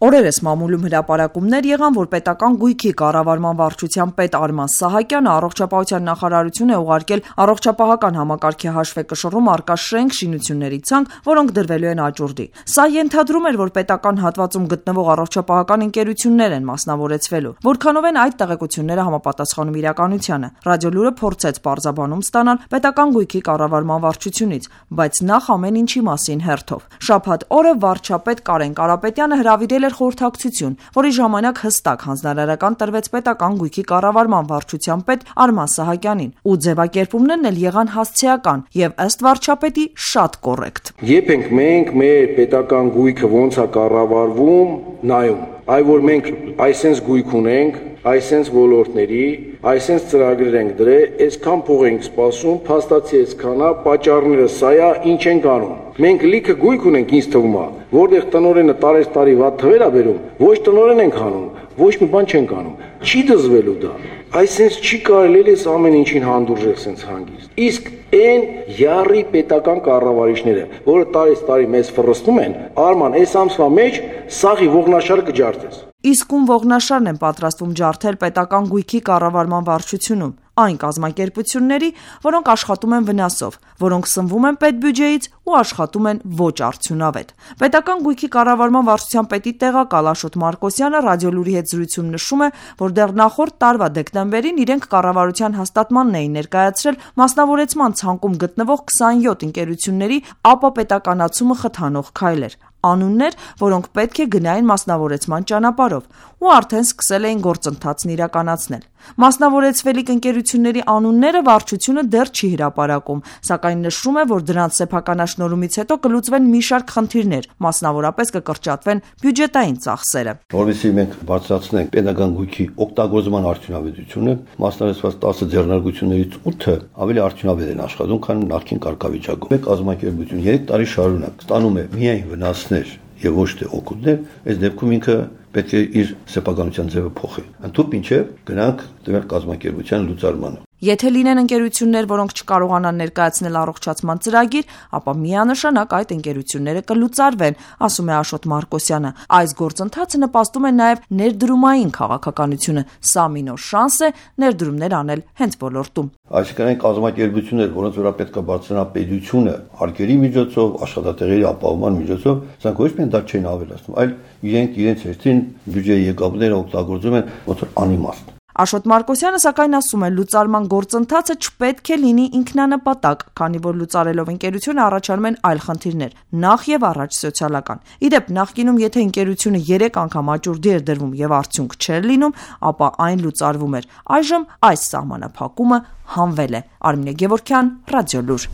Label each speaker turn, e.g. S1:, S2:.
S1: Օրերս մամուլում հրապարակումներ եղան, որ պետական գույքի կառավարման վարչության պետ Արման Սահակյանը առողջապահության նախարարություն է ուղարկել առողջապահական համակարգի հաշվեկշռում առկա շենք շինությունների ցանկ, որոնք դրվելու են աճուրդի։ Սա ենթադրում էր, որ պետական հատվածում գտնվող առողջապահական ընկերություններ են մասնավորեցվելու, որքանով են այդ տեղեկությունները համապատասխանում իրականությանը։ Ռադիոլուրը փորձեց պարզաբանում ստանալ պետական գույքի կառավարման վարչությունից, բայց նախ ամեն ինչի մասին հերթով։ Շաբաթ օրը վարչապետ Կարեն Կարապետյանը հրավիրել խորհրդակցություն, որի ժամանակ հստակ հանձնարարական տրվեց պետական գույքի կառավարման վարչության պետ Արման Սահակյանին, ու ձևակերպումներն էլ եղան հասցեական եւ ըստ վարչապետի շատ կոռեկտ։
S2: Երբ ենք մենք մեր պետական գույքը ոնց է կառավարվում, նայում, այ որ մենք այսպես գույք ունենք, այսպես ոլորտների, այսպես ծրագրեր ենք դրել, այսքան փող ենք սպասում, փաստացի այսքանա, պատճառները սա է, ինչ ենք անում։ Մենք լիքը գույք ունենք, ինձ թվում է, որտեղ տնօրենը տարի վատ թվեր է բերում, ոչ տնօրեն ենք անում, ոչ մի բան չենք անում։ Չի դզվելու դա։ Այսպես չի կարելի էս ամեն ինչին հանդուրժել սենց հանգիստ։ Իսկ այն յառի պետական կառավարիչները, որը տարի մեզ ֆռստում են, Արման, այս ամսվա մեջ սաղի ողնաշարը կջարդես։
S1: Իսկ ում ողնաշարն են պատրաստվում ջարդել պետական գույքի կառավարման վարչությունում, այն կազմակերպությունների, որոնք աշխատում են վնասով, որոնք սնվում են պետբյուջեից ու աշխատում են ոչ արդյունավետ։ Պետական գույքի կառավարման վարչության պետի տեղակալ Աշոտ Մարկոսյանը ռադիոլուրի հետ զրույցում նշում է, որ դեռ նախորդ տարվա դեկտեմբերին իրենք կառավարության հաստատմանն էին ներկայացրել մասնավորեցման ցանկում գտնվող 27 ընկերությունների ապապետականացումը խթանող քայլեր, անուններ, որոնք պետք է գնային մասնավորեցման ճանապարհով, ու արդեն սկսել էին գործընթացն իրականացնել։ Մասնավորեցվելիք ընկերությունների անունները վարչությունը դեռ չի հրապարակում, սակայն նշում է, որ դրանց սեփականաշնորհումից հետո կլուծվեն մի շարք խնդիրներ, մասնավորապես կկրճատվեն բյուջետային ծախսերը։
S3: Որովհետեւ մենք բարձրացնենք պետական գույքի օգտագործման արդյունավետությունը, մասնավորեցված 10 ձեռնարկություններից 8-ը ավելի արդյունավետ են աշխատում, քան նախկին կարգավիճակում։ Մեկ կազմակերպություն 3 տարի շարունակ ստանում է միայն վնասներ եւ ոչ թե օգուտներ, այս դեպքում ինքը պետք է իր սեփականության ձևը փոխի։ Ընդհանուր ինչեւ գնանք դեպի կազմակերպության լուծարմանը։
S1: Եթե լինեն ընկերություններ, որոնք չկարողանան ներկայացնել առողջացման ծրագիր, ապա միանշանակ այդ ընկերությունները կլուծարվեն, ասում է Աշոտ Մարկոսյանը։ Այս գործընթացը նպաստում է նաև ներդրումային քաղաքականությունը։ Սա մի նոր շանս է ներդրումներ անել հենց ոլորտում։
S3: Այսինքն այն կազմակերպություններ, որոնց վրա պետք է բարձրանա պետությունը արկերի միջոցով, աշխատատեղերի ապահովման միջոցով, սրանք ոչ միայն դա չեն ավելացնում, այլ իրենց հերթին բյուջեի եկամուտները օգտագործում են ոնց որ անիմաստ։
S1: Աշոտ Մարկոսյանը սակայն ասում է, լուծարման գործընթացը չպետք է լինի ինքնանպատակ, քանի որ լուծարելով ընկերությունը առաջանում են այլ խնդիրներ, նախ եւ առաջ սոցիալական։ Իդեպ նախկինում եթե ընկերությունը 3 անգամ աճուրդի էր դրվում եւ արդյունք չէր լինում, ապա այն լուծարվում էր։ Այժմ այս սահմանափակումը հանվել է։ Արմինե Գևորգյան, Ռադիոլուր։